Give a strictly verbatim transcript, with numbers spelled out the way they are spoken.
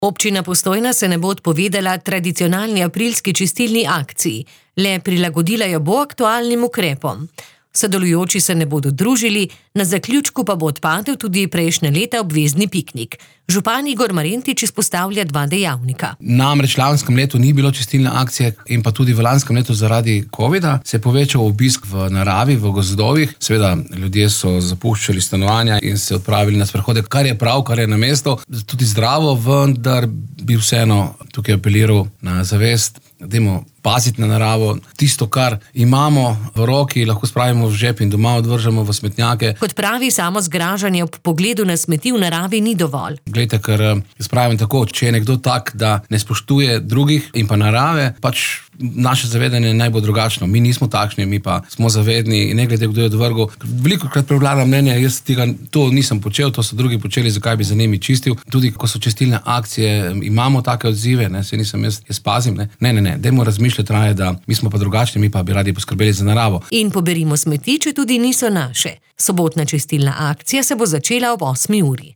Občina Postojna se ne bo odpovedala tradicionalni aprilski čistilni akciji, le prilagodila jo bo aktualnim ukrepom. Sodelujoči se ne bodo družili, na zaključku pa bo odpadel tudi prejšnje leta obvezni piknik. Župan Igor Marentič izpostavlja dva dejavnika. Namreč v lanskem letu ni bilo čistilne akcije in pa tudi v lanskem letu zaradi covida se je povečal obisk v naravi, v gozdovih. Seveda, ljudje so zapuščali stanovanja in se odpravili na sprehode, kar je prav, kar je na mestu, tudi zdravo, vendar bi vseeno tukaj apeliral na zavest, dajmo paziti na naravo. Tisto, kar imamo v roki, lahko spravimo v žep in doma odvržemo v smetnjake. Kot pravi, samo zgražanje ob pogledu na smeti v naravi ni dovolj. Glejte, ker jaz pravim tako, če je nekdo tak, da ne spoštuje drugih in pa narave, pač naše zavedanje naj bo drugačno. Mi nismo takšni, mi pa smo zavedni in ne glede, kdo je odvrgel. Veliko krat prevlada mnenje, jaz tega, to nisem počel, to so drugi počeli, zakaj bi za njimi čistil. Tudi ko so čistilne akcije, imamo take odzive, ne, se nisem jaz, jaz pazim, ne, ne, ne, ne, dajmo razmišljati raje, da mi smo pa drugačni, mi pa bi radi poskrbeli za naravo. In poberimo smeti, če tudi niso naše. Sobotna čistilna akcija se bo začela ob osmi uri.